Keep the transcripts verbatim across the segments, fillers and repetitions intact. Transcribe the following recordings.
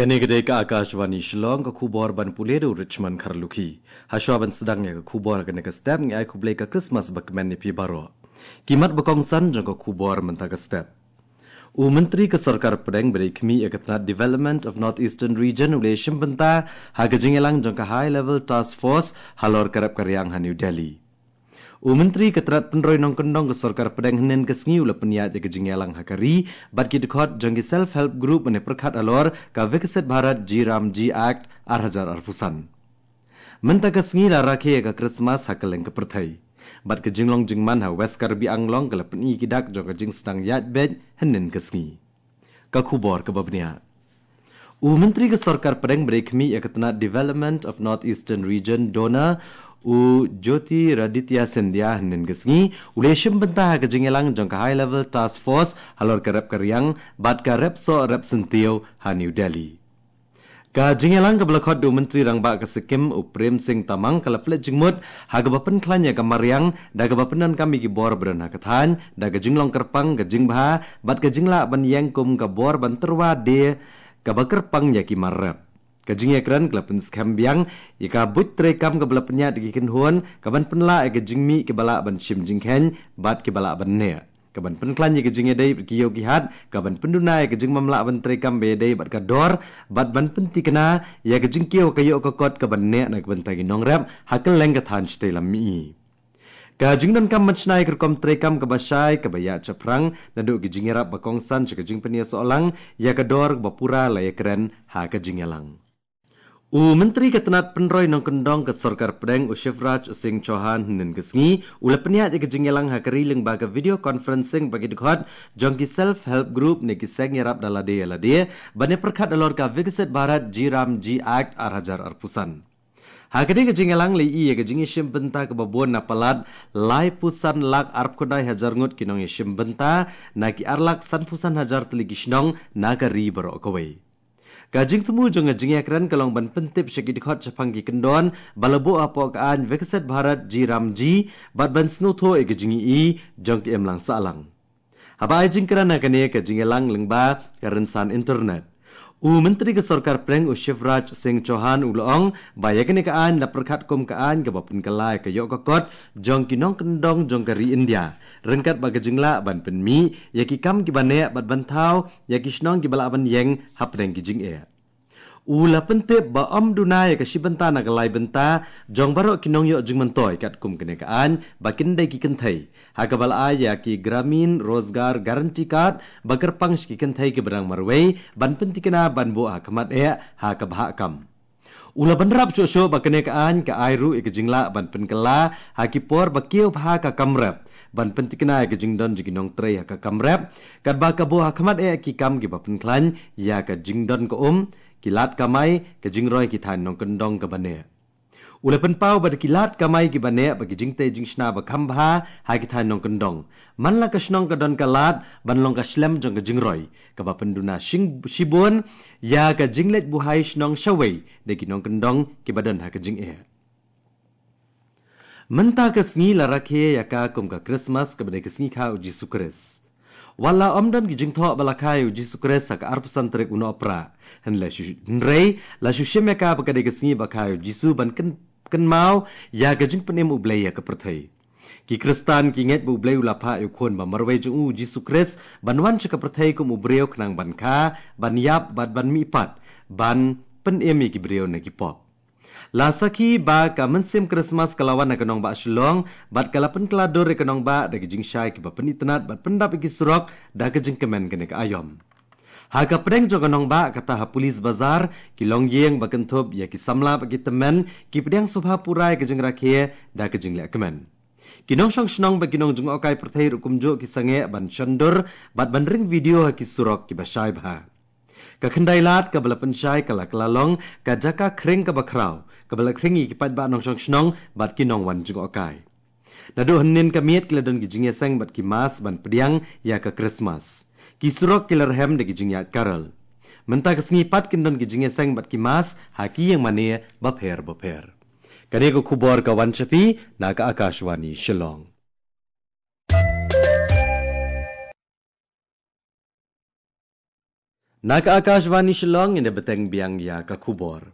Kane ka dei ka Akashvani Shillong, ka khubor ban pule da u Richmond Kharlukhi. Hashwa ban sdang ïa ka khubor ha kane ka step, ngi ai khublei ka Christmas bakmen ïa phi baroh. Ki mat ba kongsan jong ka khubor mynta ka step. U Myntri ka Sorkar Pdeng ba dei khmih ïa ka tnat Development of North Eastern Region u la shim bynta ha ka jingïalang jong ka High Level Task Force halor ka rep ka riang ha New Delhi. U Myntri ka tnat pynroi nongkyndong ka Sorkar Pdeng hynnin ka sngi u la pynïaid ïa ka jingïalang ha ka ri bad ki dkhot jong ki Self Help Group ban ïa pyrkhat halor ka Viksit Bharat G RAM G Act ar hajar arphew san. Mynta ka sngi la rakhe ïa ka Christmas ha kylleng ka pyrthei. Bad ka jinglong jingman ha West Karbi Anglong ka la pyni ki dak jong ka jingsdang ïaid beit hynnin ka sngi. Ka khubor kaba bniah. U Myntri ka Sorkar Pdeng ba dei khmih ïa ka tnat Development of North Eastern Region, DoNER, u Jyotiraditya Scindia hynnin ka sngi u la shim bynta ha ka jingïalang jong ka High Level Task Force halor ka rep ka riang bad ka rep soh rep syntiew ha New Delhi. Ka jingïalang kaba la khot da u Myntri Rangbah ka Sikkim u Prem Singh Tamang ka la pynleit jingmut ha kaba pynkhlaiñ ïa ka mariang da kaba pyndonkam ïa ki bor ba don ha ka thaiñ da ka jinglong kyrpang, ka jingbha bad ka jinglah ban ïeng kum ka bor ban tyrwa de kaba kyrpang ïa ki mar rep. Ka jingïakren ka la pynskhem biang ïa ka buit treikam kaba la pynïaid da ki kynhun kaban pynlah ïa ka jingmih kiba lah ban shim jingkheiñ bad kiba lah ban neh, kaban pynkhlaiñ ïa ka jingïadei bad ki ïew ki hat, kaban pynduna ïa ka jingbymlah ban treikam ba ïadei bad ka dor bad ban pynthikna ïa ka jingkiew ka ïoh ka kot kaban neh na ka bynta ki nongrep ha kylleng ka thaiñ shatei lam mihngi. Ka jingdonkam ban shna ïa ka rukom treikam kaba shai kaba ïaid shaphrang naduh ka jingïarap ba kongsan sha ka jingpynïasoh lang ïa ka dor kaba pura la ïakren ha ka jingïalang. U Myntri ka tnat pynroi nongkyndong ka Sorkar Pdeng u Shivraj Singh Chouhan hynnin ka sngi u la pynïaid ïa ka jingïalang ha ka ri lyngba ka video conferencing bad ki dkhot jong ki Self Help Group ne ki seng ïarap da lade ïa lade ban ïa pyrkhat halor ka Viksit Bharat G RAM G Act ar hajar arphew san. Ha kane ka jingïalang la ïohi ïa ka jingïashim bynta kaba bun na palat laiphew san lak arphew khyndai hajar ngut ki nongïashim bynta na ki ar lak sanphew san hajar tylli ki shnong na ka ri baroh kawei. Ka jingthmu jong ka jingïakren ka long ban pyntip sha ki dkhot shaphang ki kyndon ba la buh hapoh ka aiñ Viksit Bharat G RAM G bad ban sngewthuh ïa ka jingïohi jong ki imlang sahlang. Haba ai jingkren ha kane ka jingïalang lyngba ka rynsan internet, u Myntri ka Sorkar Pdeng u Shivraj Singh Chouhan u la ong ba ïa kane ka aiñ la pyrkhat kum ka aiñ kaba pynkylla ïa ka ïoh ka kot jong ki nongkyndong jong ka ri India ryngkat bad ka jinglah ban pynmih ïa ki kam kiba neh bad ban thaw ïa ki shnong kiba lah ban ïeng hapdeng ki jingeh. U la pyntip ba ym duna ïa ka shi bynta na ka lai bynta jong baroh ki nongïoh jingmyntoi katkum kane ka aiñ ba kin dei ki kynthei, ha kaba la ai ïa ki Gramin Rozgar Guarantee Card ba kyrpang sha ki kynthei kiba dang marwei ban pynthikna ban buh ha khmat eh ha ka bhah kam. U la bynrap shuh shuh ba kane ka aiñ ka ai ruh ïa ka jinglah ban pynkylla ha ki por ba kiew bha ka kam rep ban pynthikna ïa ka jingdon jong ki nongtrei ha ka kam rep, katba ka buh ha khmat eh ki kam kiba pynkhlaiñ ïa ka jingdon ka um, ki lad kamai, ka jingroi ki thaiñ nongkyndong kaba neh. U la pynpaw ba da ki lad kamai kiba neh bad ki jingtei jingshna ba kham bha ha ki thaiñ nongkyndong, man la ka shnong ka don ka lad ban long ka shlem jong ka jingroi kaba pynduna shibun ïa ka jingleit buhai shnong shawei da ki nongkyndong kiba don ha ka jingeh. Mynta ka sngi la rakhe ïa ka kum ka Christmas kaba dei ka sngi kha u Jisu Khrist. Wat la ym don ki jingthoh ba la kha ïa u Jisu Khrist ha ka arphew san tarik u Nohprah, hynrei la shu shim ïa ka ba ka dei ka sngi ba kha ïa u Jisu ban kynmaw ïa ka jingpynim U Blei ïa ka pyrthei. Ki Khristan ki ngeit ba U Blei u la phah ïa u Khun ba marwei jong u, u Jisu Khrist, ban wan sha ka pyrthei kum u briew khnang ban kha, ban ïap bad ban mihpat ban pynim ïa ki briew na ki pop. La sakhi ba ka mynsiem Christmas ka la wan na ka nongbah Shillong bad ka la pynkylla dur ïa ka nongbah da ki jingshai kiba pynitynnad bad pyndap ïa ki surok da ka jingkmen kane ka aïom. Ha ka pdeng jong ka nongbah kata ha Police Bazar, ki longïing ba kynthup ïa ki samla bad ki tymmen ki pdiang sngewbha pura ïa ka jingrakhe da ka jingleh kmen. Ki nongshong shnong bad ki nongjngohkai pyrthei ruh kumjuh ki sangeh ban shon dur bad ban ring video ha ki surok kiba shai bha. Ka khyndai lad kaba la pynshai ka la kylla long ka jaka khring kaba khraw kaba la khring ïa ki paidbah nongshong shnong bad ki nongwan jngohkai. Naduh hynnin ka miet ki la don ki jingïaseng bad ki mass ban pdiang ïa ka Christmas. Ki surok ki la rhem da ki jingïaid carol. Mynta ka sngi pat kin don ki jingïaseng bad ki mass ha ki ïing mane bapher bapher. Kane ka khubor ka wan sha phi na ka Akashvani Shillong. Na ka Akashvani Shillong, ngin ïa bteng biang ïa ka khubor.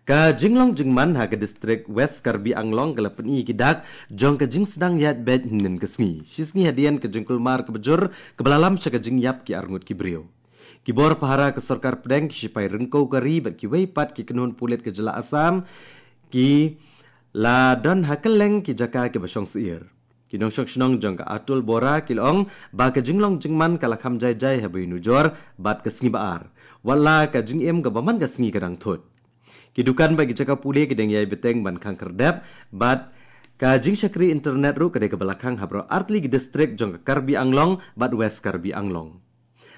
Ka jinglong jingman ha ka distrik West Karbi Anglong ka la pyni ki dak jong ka jingsdang ïaid beit hynnin ka sngi, shi sngi hadien ka jingkulmar kaba jur kaba la lam sha ka jingïap ki arngut ki briew. Ki bor pahara ka sorkar pdeng, ki shipai ryngkew ka ri bad kiwei pat ki kynhun pulit ka jylla Assam ki la don ha kylleng ki jaka kiba shong syiar. Ki nongshong shnong jong ka Atul Bora ki la ong ba ka jinglong jingman ka la kham jai jai haba ïa nujor bad ka sngi ba ar, wat la ka jingim kaba man ka sngi ka dang thut. Ki dukan bad ki jaka pule ki dang ïai bteng ban khang khyrdep, bad ka jingshakri internet ruh ka dei kaba la khang ha baroh artylli ki distrik jong ka Karbi Anglong bad West Karbi Anglong.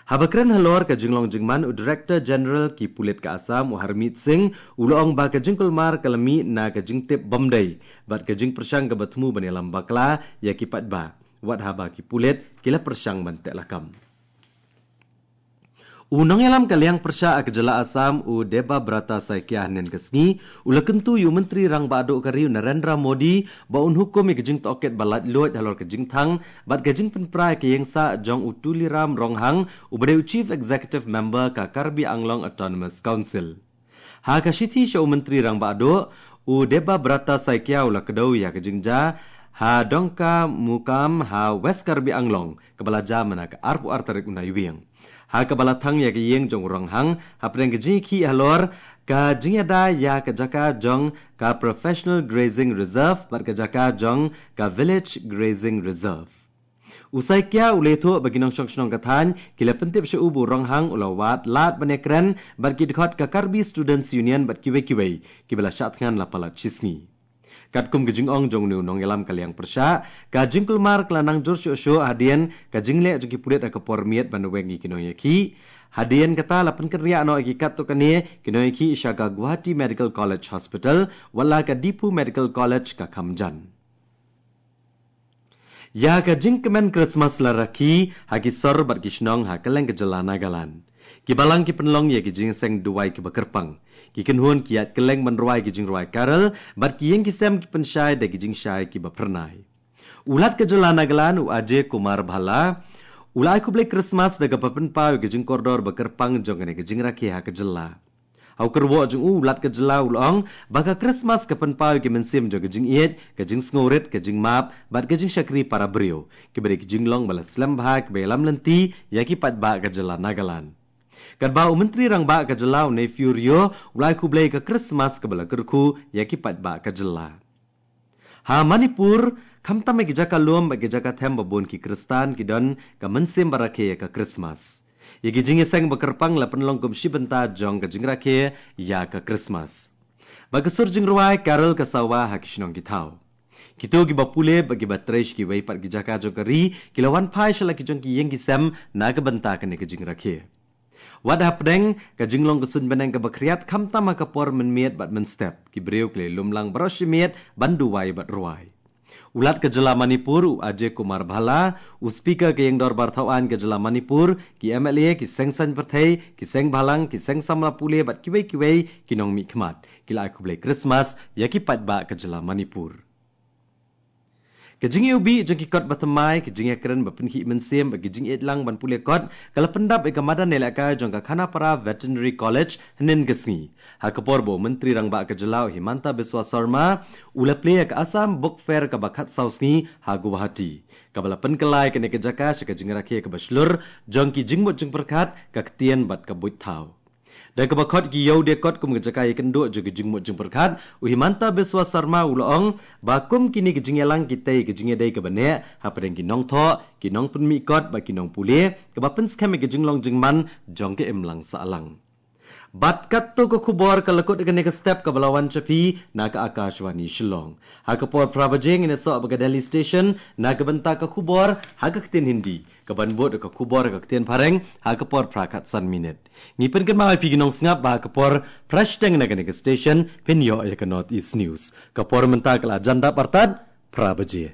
Haba kren halor ka jinglong jingman, u Director General ki pulit ka Assam, u Harmeet Singh, u la ong ba ka jingkulmar ka la mih na ka jingtip bym dei bad ka jingpyrshang kaba thmu ban ïalam bakla ïa ki paidbah, wat haba ki pulit ki la pyrshang ban teh lakam. U nongïalam ka liang pyrshah ka jylla Assam, u Debabrata Saikia, hynnin ka sngi u la kyntu ïa u Myntri Rangbah Duh ka ri, u Narendra Modi, ba un hukum ïa ka jingtohkit ba laitluid halor ka jingthang bad ka jingpynpra ïa ka ïing sah jong u Tuliram Ronghang, uba dei u Chief Executive Member ka Karbi Anglong Autonomous Council. Ha ka shithi sha u Myntri Rangbah Duh, u Debabrata Saikia u la kdew ïa ka jingjia ha Dongkamukam ha West Karbi Anglong, kaba la jia mynta ka arphew ar tarik u Naiwieng. Ha kaba la thang ïa ka ïing jong u Ronghang hapdeng ka jingïakhih halor ka jingïada ïa ka jaka jong ka Professional Grazing Reserve bad ka jaka jong ka Village Grazing Reserve. U Saikia u la ïathuh ba ki nongshong shnong ka thaiñ ki la pyntip sha u ba u Ronghang u la wad lad ban ïakren bad ki dkhot ka Karbi Students Union bad kiwei kiwei kiba la shah thngan la palat shi sngi. Katkum ka jingong jong une u nongïalam ka liang pyrshah, ka jingkulmar ka la nang jur shuh shuh hadien ka jingleh jong ki pulit ha ka por miet ban weng ïa ki nongïakhih. Hadien kata la pynkynriah noh ïa ki katto katne ki nongïakhih sha ka Guwahati Medical College Hospital, wat la ka Diphu Medical College ka kham jan. Ïa ka jingkmen Christmas la rakhe ha ki sor bad ki shnong ha kylleng ka jylla Nagaland. Ki balang ki pynlong ïa ki jingïaseng duwai kiba kyrpang. Ki kynhun ki ïaid kylleng ban rwai ki jingrwai carol, bad ki ïing ki sem ki pynshai da ki jingshai kiba phyrnai. U Lat ka jylla Nagaland, u Ajay Kumar Bhalla, u la ai khublei Christmas da kaba pynpaw ïa ka jingkordor ba kyrpang jong kane ka jingrakhe ha ka jylla. Ha u kyrwoh jong u, u Lat ka jylla u la ong ba ka Christmas ka pynpaw ïa ka mynsiem jong ka jingïeit, ka jingsngewrit, ka jingmap bad ka jingshakri para briew, kiba dei ki jinglong ba la slem bha kiba ïalam lynti ïa ki paidbah ka jylla Nagaland. Katba u Myntri Rangbah ka jylla, u Neiphiu Rio, u la ai khublei ïa ka Christmas kaba la kyrkhu ïa ki paidbah ka jylla. Ha Manipur, khamtam ha ki jaka lum bad ki jaka them, ba bun ki Khristan ki don ka mynsiem ba rakhe ïa ka Christmas. Ïa ki jingïaseng ba kyrpang la pynlong kum shi bynta jong ka jingrakhe ïa ka Christmas. Bad ka sur jingrwai carol ka sawa ha ki shnong ki thaw. Kito kiba pule bad kiba trei sha kiwei pat ki jaka jong ka ri ki la wan phai sha la ki jong ki ïing ki sem na ka bynta kane ka jingrakhe. Wat hapdeng ka jinglong ka suiñ bneng kaba khriat, khamtam ha ka por mynmiet bad mynstep, ki briew ki la lum lang baroh shi miet ban duwai bad rwai. U Lat ka jylla Manipur, u Ajay Kumar Bhalla, u Speaker ka Ïing Dorbar Thaw Aiñ ka jylla Manipur, ki M L A, ki seng saiñ pyrthei, ki seng bhalang, ki seng samla pule bad kiwei kiwei ki nongmihkhmat, ki la ai khublei Christmas ïa ki paidbah ka jylla Manipur. Ka jingïewbih jong ki kot ba thymmai, ka jingïakren ba pynkhih mynsiem bad ka jingïeit lang ban pule kot, ka la pyndap ïa ka madan ïalehkai jong ka Khanapara Veterinary College hynnin ka sngi, ha ka por ba u Myntri Rangbah ka jylla, u Himanta Biswa Sarma, u la plie ïa ka Assam Book Fair kaba khatsaw sngi ha Guwahati, kaba la pynkylla ïa kane ka jaka sha ka jingrakhe kaba shlur jong ki jingmut jingpyrkhat, ka ktien bad ka buit thaw. Da kaba khot ïa ki ïew die kot kum ka jaka ïakynduh jong ki jingmut jingpyrkhat, u Himanta Biswa Sarma u la ong ba kum kine ki jingïalang ki tei ïa ka jingïadei kaba neh hapdeng ki nongthoh, ki nongpynmih kot bad ki nongpule, kaba pynskhem ïa ka jinglong jingman jong ka imlang sahlang. Bad katto ka khubor ka la kut ïa kane ka step kaba la wan sha phi na ka Akashvani Shillong. Ha ka por phra baje ngin ïasoh bad ka Delhi Station na ka bynta ka khubor ha ka ktien Hindi, kaban bud ka khubor ha ka ktien Phareng ha ka por phra khatsan minit. Ngi pynkynmaw ïa phi ki nongsngap ba ha ka por phra shiteng na kane ka station phin ïoh ïa ka North East News. Ka por mynta ka la jan dap artat phra baje.